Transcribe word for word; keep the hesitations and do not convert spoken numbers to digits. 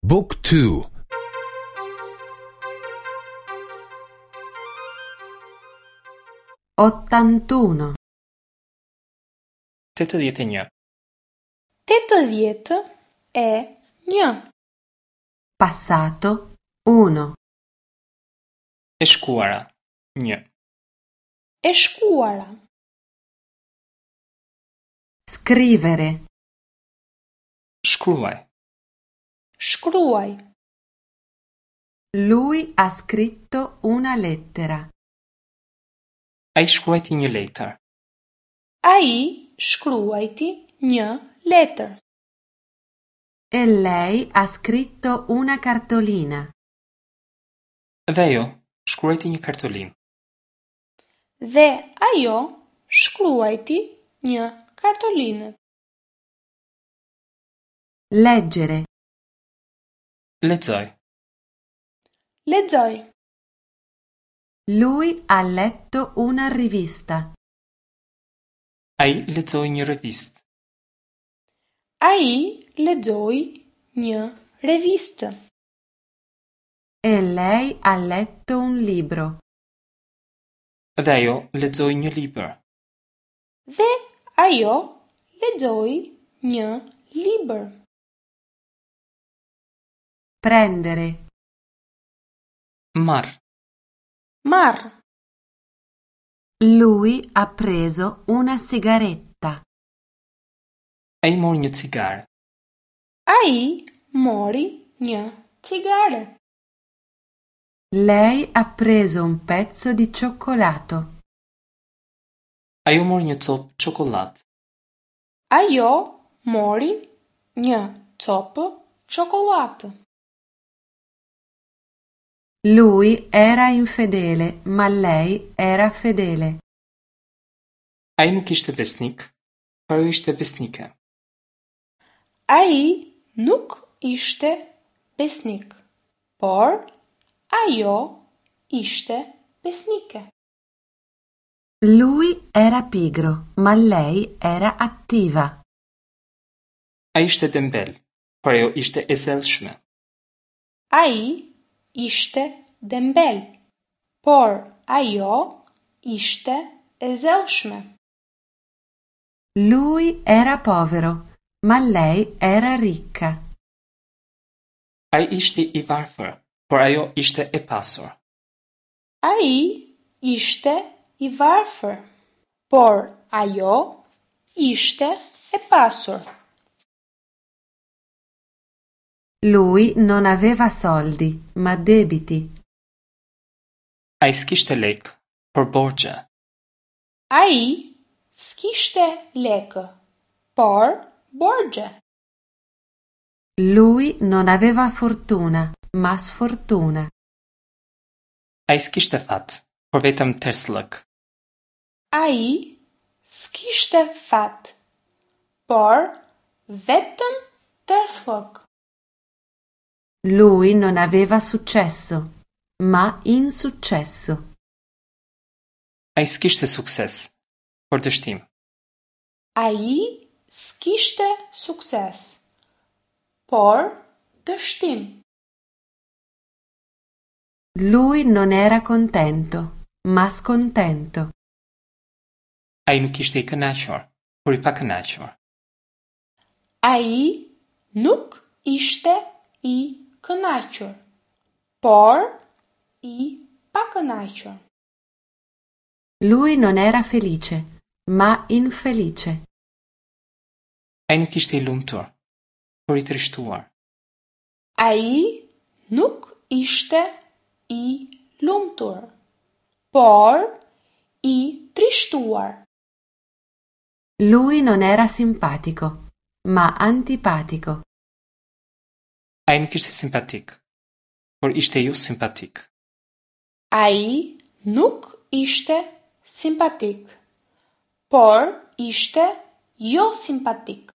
Book two. Ottantuno. Tetëdhjetë e një. Tetëdhjetë e një. Passato uno. E shkuara, një. E shkuara. Scrivere. Shkruaj. Shkruaj. Lui ha scritto una lettera. Ai shkruajti një letër. Ai shkruajti një letër. E lei ha scritto una cartolina. Dhe ajo shkruajti një kartolinë. Dhe ajo shkruajti një kartolinë. Leggere. Lexoj. Lexoj. Lui ha letto una rivista. Ai lexoi një revistë. Ai lexoi një revistë. E lei ha letto un libro. Dhe ajo lexoi një libër. Dhe ajo lexoi një libër. Prendere. Marr. Marr. Lui ha preso una sigaretta. Ai mori një cigare. Ai mori një cigare. Lei ha preso un pezzo di cioccolato. Ajo mori një copë çokollatë. Ajo mori një copë çokollatë. Lui era infedele, ma lei era fedele. Ai nuk ishte besnik, por ajo ishte besnike. Ai nuk ishte besnik, por ajo ishte besnike. Lui era pigro, ma lei era attiva. Ai ishte dembel, por ajo ishte e zellshme. Ai ishte dembel, por ajo ishte e zellshme. Lui era povero, ma lei era ricca. Ai ishte i varfër, por ajo ishte e pasur. Ai ishte i varfër, por ajo ishte e pasur. Lui non aveva soldi, ma debiti. Ai s'kishte lekë, por borxhe. Ai s'kishte lekë, por borxhe. Lui non aveva fortuna, ma sfortuna. Ai s'kishte fat, por vetëm tersllëk. Ai s'kishte fat, por vetëm tersllëk. Lui non aveva successo, ma insuccesso. Ai s'kishte sukses, por dështim. Ai s'kishte sukses, por dështim. Lui non era contento, ma scontento. Ai nuk ishte i kënaqur, por i pakënaqur. Ai nuk ishte i kënaqur, por i pakënaqur. Lui non era felice, ma infelice. Ai nuk ishte i lumtur, por i trishtuar. Ai nuk ishte i lumtur, por i trishtuar. Lui non era simpatico, ma antipatico. Ai nuk ishte simpatik, por ishte jo simpatik. Ai nuk ishte simpatik, por ishte jo simpatik.